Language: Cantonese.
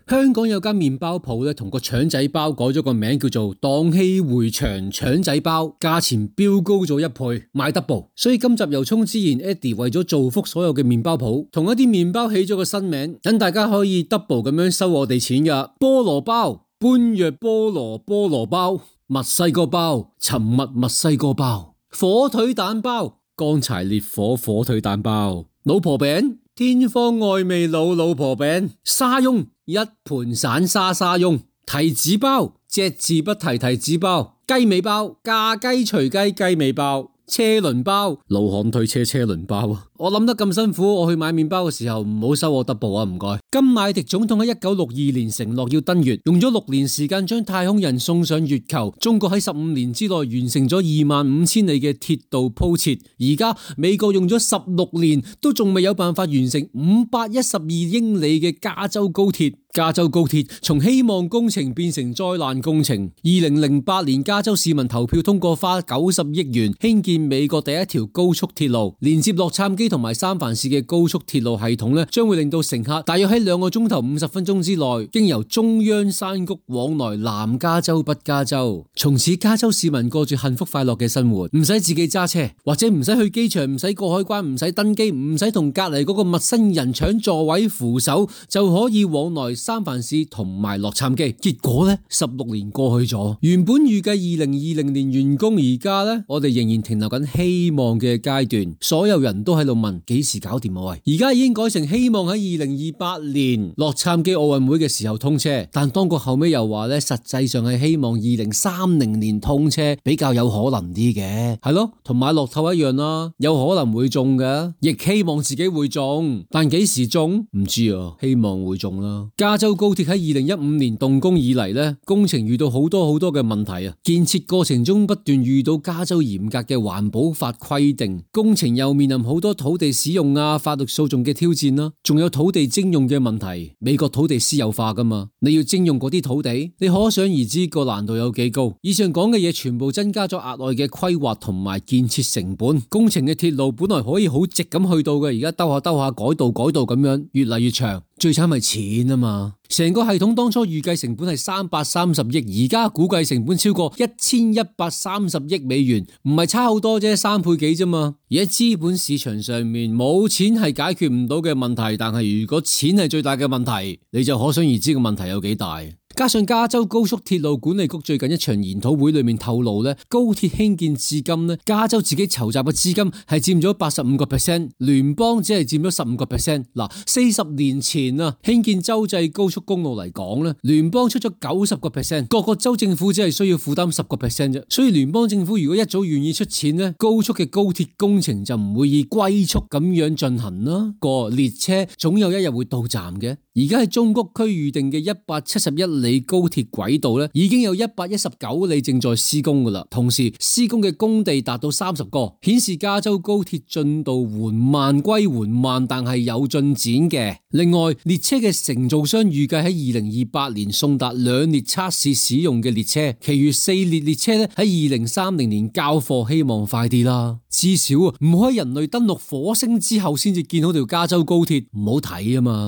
香港有間麵包鋪咧，同個腸仔包改咗個名叫做蕩氣迴腸腸仔包，價錢飆高咗1倍，賣 double。所以今集由衷之言 Eddie 為咗造福所有嘅麵包鋪，同一啲麵包起咗個新名，等大家可以 double 咁樣收我哋錢噶。菠蘿包、般若菠蘿包、墨西哥包、沉默墨西哥包、火腿蛋包、乾柴烈火火腿蛋包、老婆餅、天方愛味老婆餅、沙翁、一盤散沙翁、提子包、隻字不提提子包、雞尾包、炸雞隨雞雞尾包、車輪包、老漢推車車輪包啊！我諗得咁辛苦，我去買麵包嘅時候唔好收我 double 啊，唔該。甘迺迪總統喺1962年承諾要登月，用咗6年時間將太空人送上月球。中國喺15年之內完成咗25000里嘅鐵道鋪設，而家美國用咗16年都仲未有辦法完成512英里嘅加州高鐵。加州高鐵從希望工程變成災難工程。2008年加州市民投票通過花90億元興建美國第一條高速鐵路，連接洛杉磯同埋三藩市嘅高速鐵路系統咧，將會令到乘客大約喺2個鐘頭50分鐘之內，經由中央山谷往來南加州北加州。從此加州市民過住幸福快樂嘅生活，唔使自己揸車，或者唔使去機場，唔使過海關，唔使登機，唔使同隔籬嗰個陌生人搶座位扶手，就可以往來三藩市同埋洛杉磯。結果呢，16年過去咗，原本預計2020年完工，而家呢，我哋仍然停留緊希望嘅階段。所有人都喺度問幾時搞掂啊？喂，而家已經改成希望喺2028年洛杉磯奧運會嘅時候通車，但當局後尾又話呢，實際上係希望2030年通車比較有可能啲嘅，係咯，同買樂透一樣啦，有可能會中嘅，亦希望自己會中，但幾時中唔知啊，希望會中啦。加州高鐵喺2015年動工以嚟呢，工程遇到好多嘅問題啊！建設過程中不斷遇到加州嚴格嘅環保法規定，工程又面臨好多土地使用啊、法律訴訟嘅挑戰啦，仲有土地徵用嘅問題。美國土地私有化噶嘛，你要徵用嗰啲土地，你可想而知個難度有幾高。以上講嘅嘢全部增加咗額外嘅規劃同埋建設成本。工程嘅鐵路本來可以好直咁去到嘅，而家兜下改道咁樣，越嚟越長。最慘係錢啊嘛！成個系統當初預計成本係330億，而家估計成本超過1130億美元，唔係差好多啫，3倍幾啫嘛！而喺資本市場上面，冇錢係解決唔到嘅問題，但係如果錢係最大嘅問題，你就可想而知個問題有幾大。加上加州高速鐵路管理局最近一場研討會裏面透露咧，高鐵興建至今咧，加州自己籌集嘅資金係佔咗85%，聯邦只係佔咗15%。嗱，40年前啊，興建州際高速公路嚟講咧，聯邦出咗90%，各個州政府只係需要負擔10%啫。所以聯邦政府如果一早願意出錢咧，高速嘅高鐵工程就唔會以龜速咁樣進行啦。個列車總有一日會到站嘅。而家喺中谷區預定嘅171里高鐵軌道咧，已經有119里正在施工噶啦。同時施工嘅工地達到30個，顯示加州高鐵進度緩慢歸緩慢，但係有進展嘅。另外，列車嘅承造商預計喺2028年送達2列測試使用嘅列車，其餘4列列車咧喺2030年交貨，希望快啲啦。至少唔可以人類登陸火星之後先至見到條加州高鐵，唔好睇啊嘛。